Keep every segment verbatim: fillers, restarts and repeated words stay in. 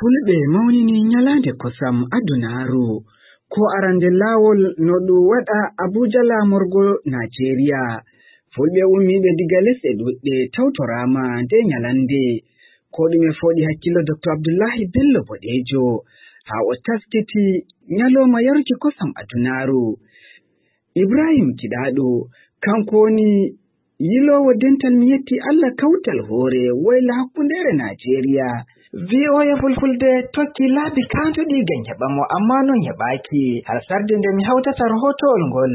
Fulɓe mawnini ñalaande kosam adunaaru. Ko arande laawol no ɗum waɗa Abuja laamorgo Najeriya. Fulɓe ummiiɓe diga lesɗe ɗuɗɗe tawtoraama nde ñalannde. Ko ɗume fooɗi hakkillo Doktor Abdullahi Bello Boɗeejo haa o taskiti ñalooma yaruki kosam adunaaru? Ibrahim Kiɗaaɗo, kanko woni yiloowo dental mi yetti Allah kawtal hoore woyla hakkundeere Najeriya. V O A Fulfulde tokki laabi kaantoɗi ngam heɓa mo, ammaa noon heɓaaki, har sarde nde mi hawtata rahootowol ngol.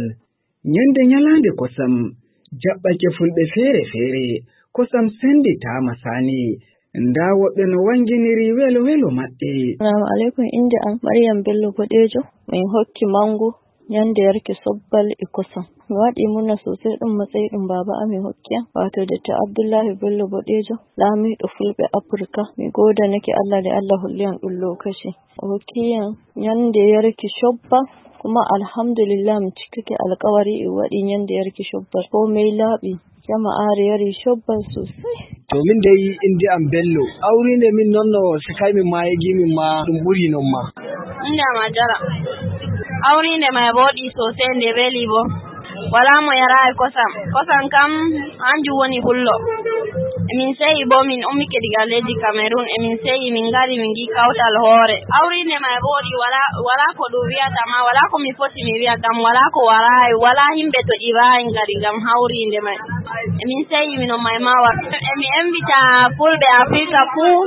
Ñande ñalaande kosam, jaɓɓake Fulɓe feere-feere, kosam sennditaama saani. Ndaa woɓɓe no wannginiri welo-welo maɓɓe. Salaamu aleykum, innde am Maryam Bello Boɗeejo. Min hokki manngu ñande yarki sobbal e kosam. Mi waɗi murna sosai, ɗum matsayi ɗum baaba amin hokki am, wato Dottor Abdullahi Bello Boɗeejo, laamiiɗo Fulɓe Afirka. Mi goodanake Allah nde Allah holli am ɗum lokaci. O hokki am ñande yarki sobbal, kuma alhamdulillah, mi cikkake alkawari, e waɗi ñande yarki sobbal. Komai laaɓi, jama'aare yari sobbal sosai. To min dai, innde am Bello. Hawriinde min noon no sikay min ma, yegi min ma, ɗum ɓuri noon ma. Innde am Hajara. Hawriinde ma e booɗi sosai, nde weli bo. Walaa mo yaraayi kosam. Kosam kam, hanjum woni pullo. Emin seyi bo, min ummike diga leydi Cameroon. Emin seyi, min ngari, min ngi kawtal hoore. Hawriinde ma e booɗi, walaa, walaa ko ɗum wiyata ma, walaa ko mi foti mi wiya kam, walaa ko waraayi, walaa himɓe to ɗi waayi ngari ngam hawriinde may. Emin seyi, min on may mawa. Emi embita Fulɓe Afirka fuu.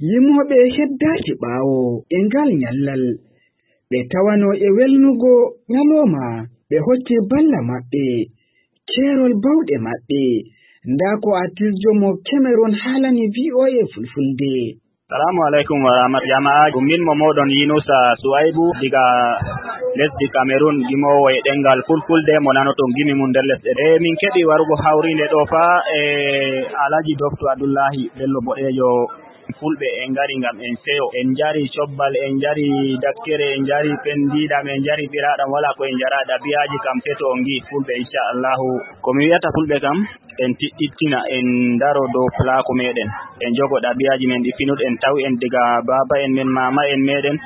Yimooɓe heddaaki ɓaawo e ngal ñallal. Ɓe tawano e welnugo ñalooma, ɓe hokki balla maɓɓe, keerol bawɗe maɓɓe. Ndaa ko artisjo mo Cameroon haalani V O A Fulfulde. Salaamu aleykum wa rahmat-, jama'aaji. Ɗum min mo mooɗon Yunusa Suwaybu diga lesdi Cameroon, gimoowo e ɗemngal Fulfulde mo nanoton gimi mum nder lesɗe. E min keɓi warugo hawriinde ɗo fa e Alhaji Doctor Abdullahi Bello Boɗeejo. Fulɓe en ngari ngam en seyo. En njari cobbal, en njari dakkere, en njari pendiɗam, en njari ɓiraɗam, wala ko en njara. Ɗabi'aji kam teto on ngi Fulɓe, inchallahu. Ko mi wi'ata Fulɓe kam, en tiɗɗittina, en ndaro dow pulaaku meɗen. En jogo ɗabi'aji men ɗi pinuɗen, tawi en diga baaba en men, mama en meɗen.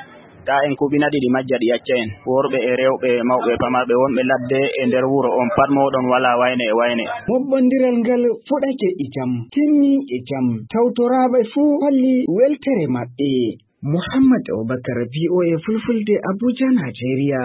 Ta en kuɓina ɗi, ɗi majja, ɗi acca en. Worɓe e rewɓe, mawɓe e pamarɓe, wonɓe ladde e nder wuro, on pat mooɗon wala wayne e wayne. Moɓɓondiral ngal fuɗake e jam, timmi e jam. Tawtoraaɓe fuu holli weltere maɓɓe. Muhammad Abubakar, V O A Fulfulde, Abuja, Najeriya.